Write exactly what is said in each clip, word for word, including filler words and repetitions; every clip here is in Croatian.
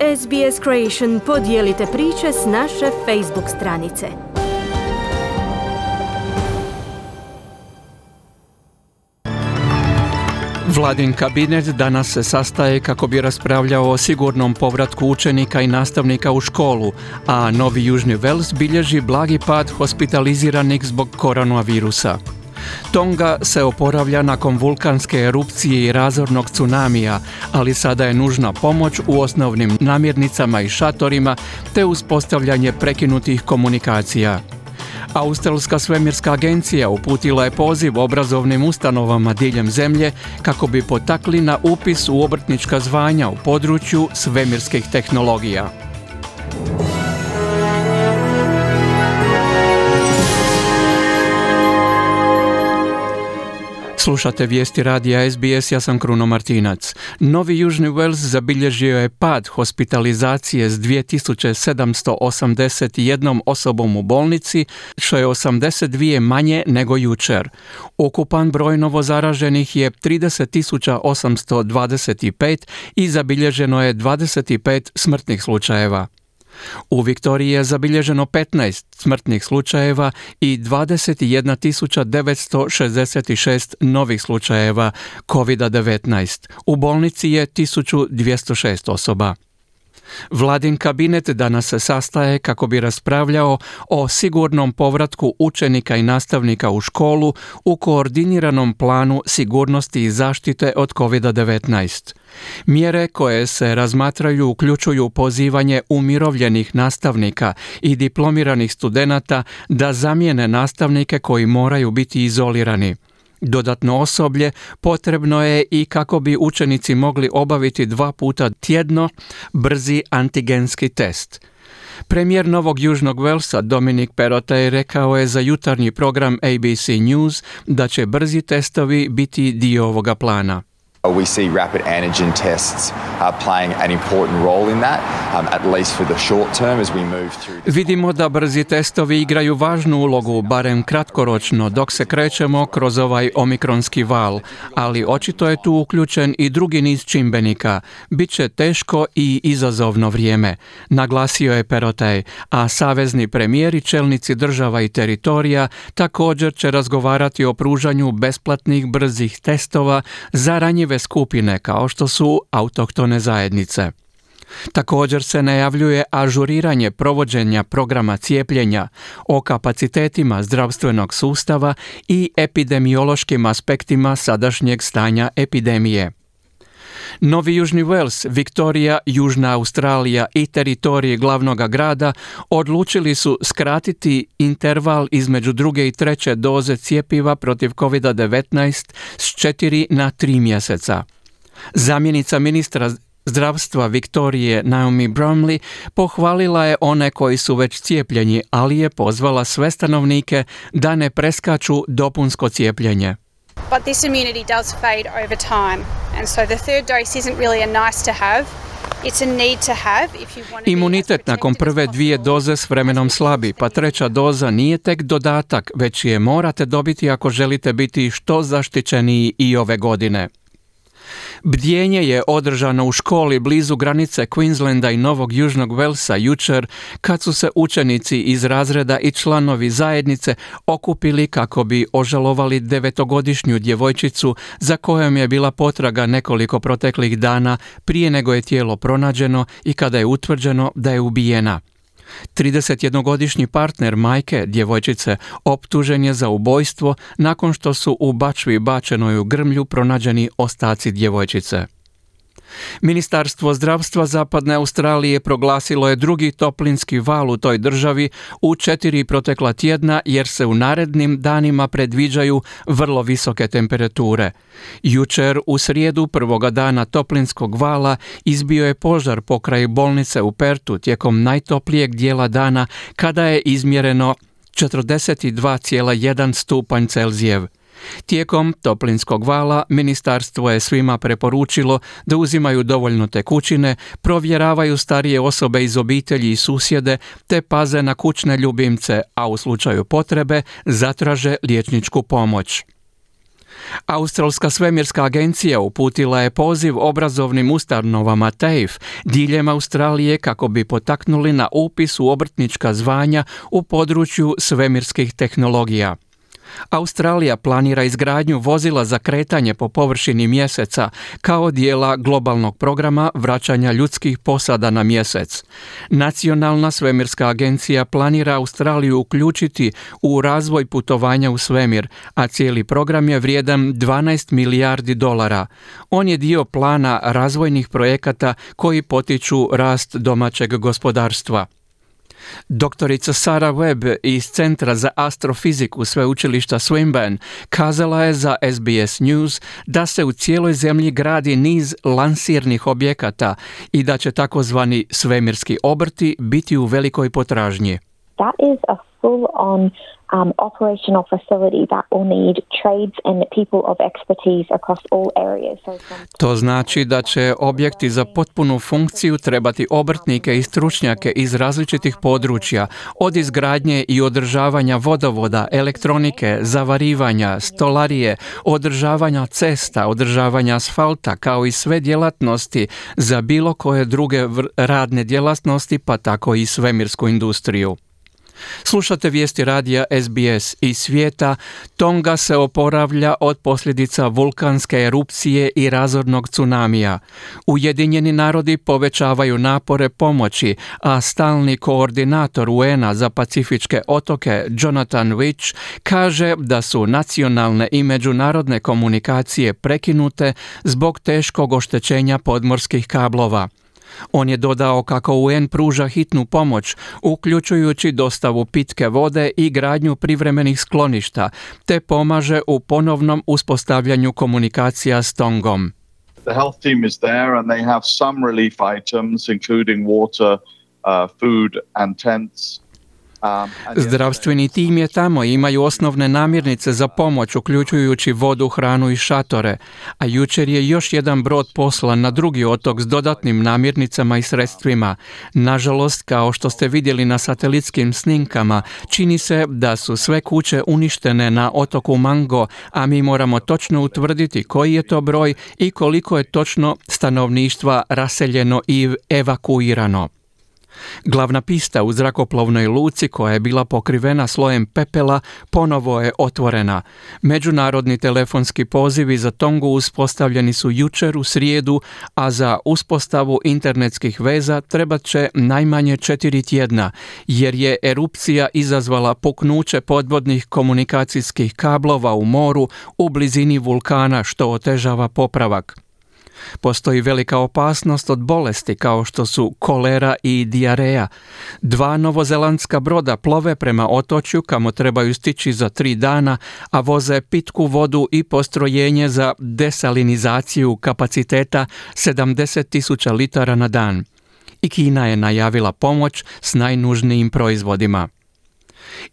S B S Creation podijelite priče s naše Facebook stranice. Vladin kabinet danas se sastaje kako bi raspravljao o sigurnom povratku učenika i nastavnika u školu, a Novi Južni Wales bilježi blagi pad hospitaliziranih zbog koronavirusa. Tonga se oporavlja nakon vulkanske erupcije i razornog tsunamija, ali sada je nužna pomoć u osnovnim namirnicama i šatorima te uspostavljanje prekinutih komunikacija. Australska svemirska agencija uputila je poziv obrazovnim ustanovama diljem zemlje kako bi potakli na upis u obrtnička zvanja u području svemirskih tehnologija. Slušate vijesti radija S B S, ja sam Kruno Martinac. Novi Južni Wales zabilježio je pad hospitalizacije s dvije tisuće sedamsto osamdeset jednom osobom u bolnici, što je osamdeset dvije manje nego jučer. Ukupan broj novozaraženih je trideset tisuća osamsto dvadeset pet i zabilježeno je dvadeset pet smrtnih slučajeva. U Viktoriji je zabilježeno petnaest smrtnih slučajeva i dvadeset jedna tisuća devetsto šezdeset šest novih slučajeva kovid devetnaest. U bolnici je tisuću dvjesto šest osoba. Vladin kabinet danas se sastaje kako bi raspravljao o sigurnom povratku učenika i nastavnika u školu u koordiniranom planu sigurnosti i zaštite od kovid devetnaest. Mjere koje se razmatraju uključuju pozivanje umirovljenih nastavnika i diplomiranih studenata da zamijene nastavnike koji moraju biti izolirani. Dodatno osoblje potrebno je i kako bi učenici mogli obaviti dva puta tjedno brzi antigenski test. Premijer Novog Južnog Walesa Dominic Perrottet rekao je za jutarnji program A B C News da će brzi testovi biti dio ovoga plana. We see rapid antigen tests uh, playing an important role in that, um, at least for the short term as we move through. Vidimo da brzi testovi igraju važnu ulogu, barem kratkoročno, dok se krećemo kroz ovaj omikronski val, ali očito je tu uključen i drugi niz čimbenika. Biće teško i izazovno vrijeme, naglasio je Perrottet, a savezni premijeri, čelnici država i teritorija također će razgovarati o pružanju besplatnih brzih testova za ranjive skupine kao što su autohtone zajednice. Također se najavljuje ažuriranje provođenja programa cijepljenja, o kapacitetima zdravstvenog sustava i epidemiološkim aspektima sadašnjeg stanja epidemije. Novi Južni Wales, Viktorija, Južna Australija i teritorije glavnog grada odlučili su skratiti interval između druge i treće doze cjepiva protiv kovid devetnaest s četiri na tri mjeseca. Zamjenica ministra zdravstva Viktorije Naomi Bromley pohvalila je one koji su već cijepljeni, ali je pozvala sve stanovnike da ne preskaču dopunsko cijepljenje. But this immunity does fade over time, and so the third dose isn't really a nice to have. It's a need to have if you want to. Imunitet nakon prve dvije doze s vremenom slabi, pa treća doza nije tek dodatak, već je morate dobiti ako želite biti što zaštićeniji i ove godine. Bdjenje je održano u školi blizu granice Queenslanda i Novog Južnog Walesa jučer kad su se učenici iz razreda i članovi zajednice okupili kako bi ožalovali devetogodišnju djevojčicu za kojom je bila potraga nekoliko proteklih dana prije nego je tijelo pronađeno i kada je utvrđeno da je ubijena. tridesetjednogodišnji partner majke djevojčice optužen je za ubojstvo nakon što su u bačvi bačenoj u grmlju pronađeni ostaci djevojčice. Ministarstvo zdravstva Zapadne Australije proglasilo je drugi toplinski val u toj državi u četiri protekla tjedna jer se u narednim danima predviđaju vrlo visoke temperature. Jučer u srijedu prvoga dana toplinskog vala izbio je požar pokraj bolnice u Pertu tijekom najtoplijeg dijela dana kada je izmjereno četrdeset dva zarez jedan stupanj Celzijev. Tijekom toplinskog vala ministarstvo je svima preporučilo da uzimaju dovoljno tekućine, provjeravaju starije osobe iz obitelji i susjede te paze na kućne ljubimce, a u slučaju potrebe zatraže liječničku pomoć. Australska svemirska agencija uputila je poziv obrazovnim ustanovama T A F E diljem Australije kako bi potaknuli na upis u obrtnička zvanja u području svemirskih tehnologija. Australija planira izgradnju vozila za kretanje po površini mjeseca kao dijela globalnog programa vraćanja ljudskih posada na mjesec. Nacionalna svemirska agencija planira Australiju uključiti u razvoj putovanja u svemir, a cijeli program je vrijedan dvanaest milijardi dolara. On je dio plana razvojnih projekata koji potiču rast domaćeg gospodarstva. Doktorica Sarah Webb iz Centra za astrofiziku Sveučilišta Swinburne kazala je za S B S News da se u cijeloj zemlji gradi niz lansirnih objekata i da će takozvani svemirski obrti biti u velikoj potražnji. That is a full-on um, operational facility that will need trades and people of expertise across all areas. So from... To znači da će objekti za potpunu funkciju trebati obrtnike i stručnjake iz različitih područja, od izgradnje i održavanja vodovoda, elektronike, zavarivanja, stolarije, održavanja cesta, održavanja asfalta, kao i sve djelatnosti za bilo koje druge radne djelatnosti, pa tako i svemirsku industriju. Slušate vijesti radija S B S iz svijeta. Tonga se oporavlja od posljedica vulkanske erupcije i razornog tsunamija. Ujedinjeni narodi povećavaju napore pomoći, a stalni koordinator U N A za pacifičke otoke Jonathan Witch kaže da su nacionalne i međunarodne komunikacije prekinute zbog teškog oštećenja podmorskih kablova. On je dodao kako U N pruža hitnu pomoć, uključujući dostavu pitke vode i gradnju privremenih skloništa, te pomaže u ponovnom uspostavljanju komunikacija s Tongom. The health team is there and they have some relief items including water, uh, food and tents. Zdravstveni tim je tamo i imaju osnovne namirnice za pomoć, uključujući vodu, hranu i šatore, a jučer je još jedan brod poslan na drugi otok s dodatnim namirnicama i sredstvima. Nažalost, kao što ste vidjeli na satelitskim snimkama, čini se da su sve kuće uništene na otoku Mango, a mi moramo točno utvrditi koji je to broj i koliko je točno stanovništva raseljeno i evakuirano. Glavna pista u zrakoplovnoj luci, koja je bila pokrivena slojem pepela, ponovo je otvorena. Međunarodni telefonski pozivi za Tongu uspostavljeni su jučer u srijedu, a za uspostavu internetskih veza trebat će najmanje četiri tjedna, jer je erupcija izazvala puknuće podvodnih komunikacijskih kablova u moru u blizini vulkana, što otežava popravak. Postoji velika opasnost od bolesti kao što su kolera i dijareja. Dva novozelandska broda plove prema otočju kamo trebaju stići za tri dana, a voze pitku vodu i postrojenje za desalinizaciju kapaciteta sedamdeset tisuća litara na dan. I Kina je najavila pomoć s najnužnijim proizvodima.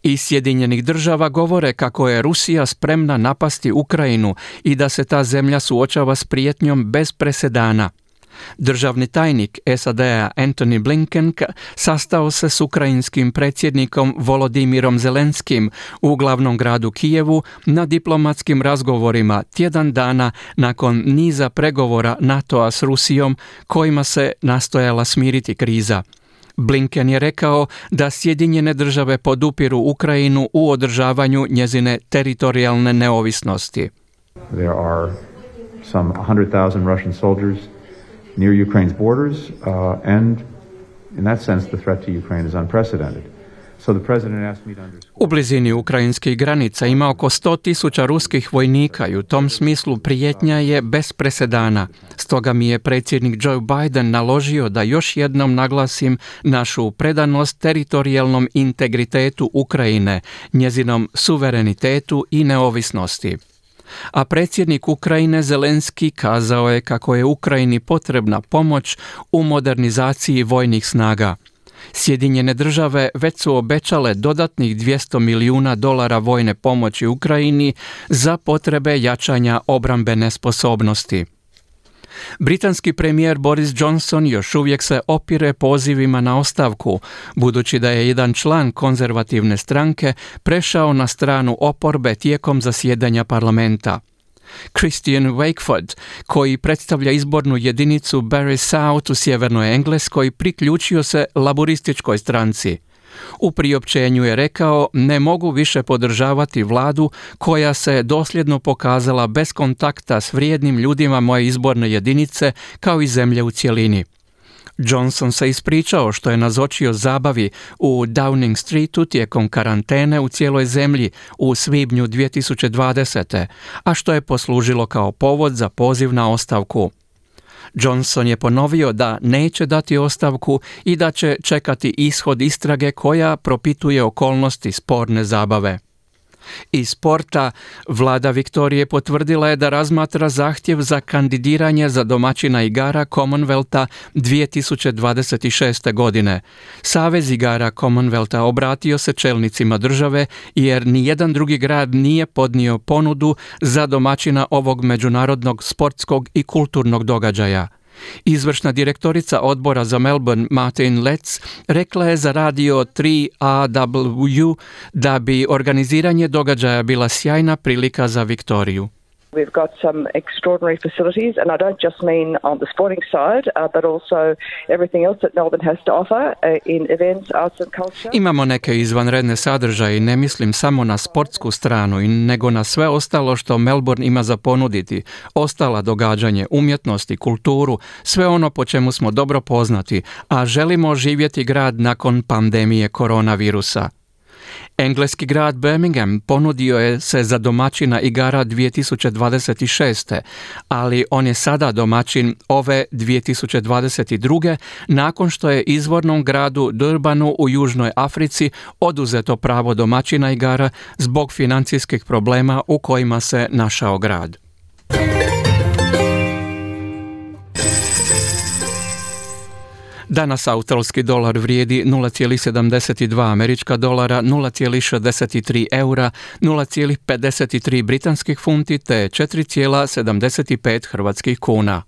Iz Sjedinjenih država govore kako je Rusija spremna napasti Ukrajinu i da se ta zemlja suočava s prijetnjom bez presedana. Državni tajnik S A D-a Antony Blinken sastao se s ukrajinskim predsjednikom Volodimirom Zelenskim u glavnom gradu Kijevu na diplomatskim razgovorima tjedan dana nakon niza pregovora NATO-a s Rusijom kojima se nastojala smiriti kriza. Blinken je rekao da Sjedinjene države podupiru Ukrajinu u održavanju njezine teritorijalne neovisnosti. There are some one hundred thousand Russian soldiers near Ukraine's borders, uh, and in that sense the threat to Ukraine is unprecedented. So the president asked me to underscore... U blizini ukrajinskih granica ima oko sto tisuća ruskih vojnika i u tom smislu prijetnja je bez presedana. Stoga mi je predsjednik Joe Biden naložio da još jednom naglasim našu predanost teritorijalnom integritetu Ukrajine, njezinom suverenitetu i neovisnosti. A predsjednik Ukrajine Zelenski kazao je kako je Ukrajini potrebna pomoć u modernizaciji vojnih snaga. Sjedinjene države već su obećale dodatnih dvjesto milijuna dolara vojne pomoći Ukrajini za potrebe jačanja obrambene sposobnosti. Britanski premijer Boris Johnson još uvijek se opire pozivima na ostavku, budući da je jedan član konzervativne stranke prešao na stranu oporbe tijekom zasjedanja parlamenta. Christian Wakeford, koji predstavlja izbornu jedinicu Bury South u sjevernoj Engleskoj, priključio se laborističkoj stranci. U priopćenju je rekao: ne mogu više podržavati vladu koja se dosljedno pokazala bez kontakta s vrijednim ljudima moje izborne jedinice kao i zemlje u cjelini. Johnson se ispričao što je nazočio zabavi u Downing Streetu tijekom karantene u cijeloj zemlji u svibnju dvije tisuće dvadesete. a što je poslužilo kao povod za poziv na ostavku. Johnson je ponovio da neće dati ostavku i da će čekati ishod istrage koja propituje okolnosti sporne zabave. Iz sporta, vlada Viktorije potvrdila je da razmatra zahtjev za kandidiranje za domaćina igara Commonwealtha dvije tisuće dvadeset šeste. godine. Savez igara Commonwealtha obratio se čelnicima države jer nijedan drugi grad nije podnio ponudu za domaćina ovog međunarodnog sportskog i kulturnog događaja. Izvršna direktorica odbora za Melbourne Martin Letts rekla je za radio tri A W da bi organiziranje događaja bila sjajna prilika za Viktoriju. We've got some extraordinary facilities, and I don't just mean on the sporting side, uh, but also everything else that Melbourne has to offer uh, in events, arts and culture. Imamo neke izvanredne sadržaje i ne mislim samo na sportsku stranu, nego na sve ostalo što Melbourne ima za ponuditi, ostala događanje, umjetnost i kulturu, sve ono po čemu smo dobro poznati, a želimo živjeti grad nakon pandemije koronavirusa. Engleski grad Birmingham ponudio je se za domaćina igara dvije tisuće dvadeset šeste. ali on je sada domaćin ove dvije tisuće dvadeset druge. nakon što je izvornom gradu Durbanu u Južnoj Africi oduzeto pravo domaćina igara zbog financijskih problema u kojima se našao grad. Danas australski dolar vrijedi nula zarez sedamdeset dva američka dolara, nula zarez šezdeset tri eura, nula zarez pedeset tri britanskih funti te četiri zarez sedamdeset pet hrvatskih kuna.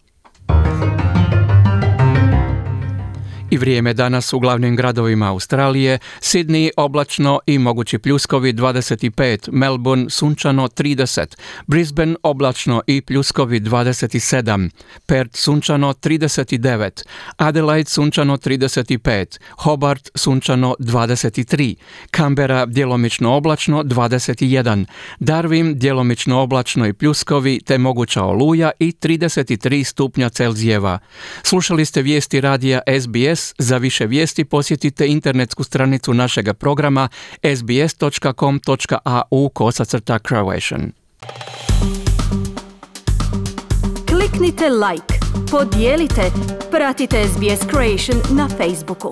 I vrijeme danas u glavnim gradovima Australije: Sydney oblačno i mogući pljuskovi dvadeset pet, Melbourne sunčano trideset, Brisbane oblačno i pljuskovi dvadeset sedam, Perth sunčano trideset devet, Adelaide sunčano trideset pet, Hobart sunčano dvadeset tri, Canberra djelomično oblačno dvadeset jedan, Darwin djelomično oblačno i pljuskovi te moguća oluja i trideset tri stupnja Celzijeva. Slušali ste vijesti radija S B S. Za više vijesti posjetite internetsku stranicu našega programa s b s dot com dot a u kosacrta Croatian. Kliknite like, podijelite, pratite S B S Croatian na Facebooku.